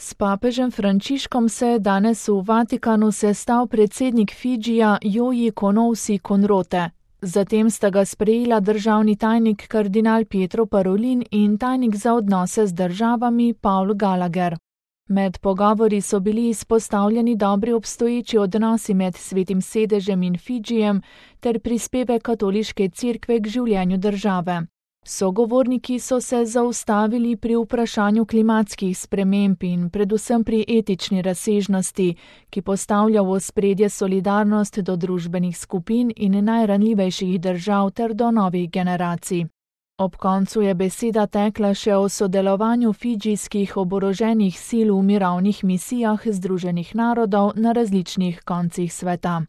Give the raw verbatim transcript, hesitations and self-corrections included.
S papežem Frančiškom se je danes v Vatikanu sestal predsednik Fidžija Joji Konovsi Konrote. Zatem sta ga sprejela državni tajnik kardinal Pietro Parolin in tajnik za odnose z državami Paul Gallagher. Med pogovori so bili izpostavljeni dobri obstoječi odnosi med Svetim sedežem in Fidžijem ter prispevek katoliške cerkve k življenju države. Sogovorniki so se zaustavili pri vprašanju klimatskih sprememb in predvsem pri etični razsežnosti, ki postavlja v ospredje solidarnost do družbenih skupin in najranljivejših držav ter do novih generacij. Ob koncu je beseda tekla še o sodelovanju fidžijskih oboroženih sil v mirovnih misijah Združenih narodov na različnih koncih sveta.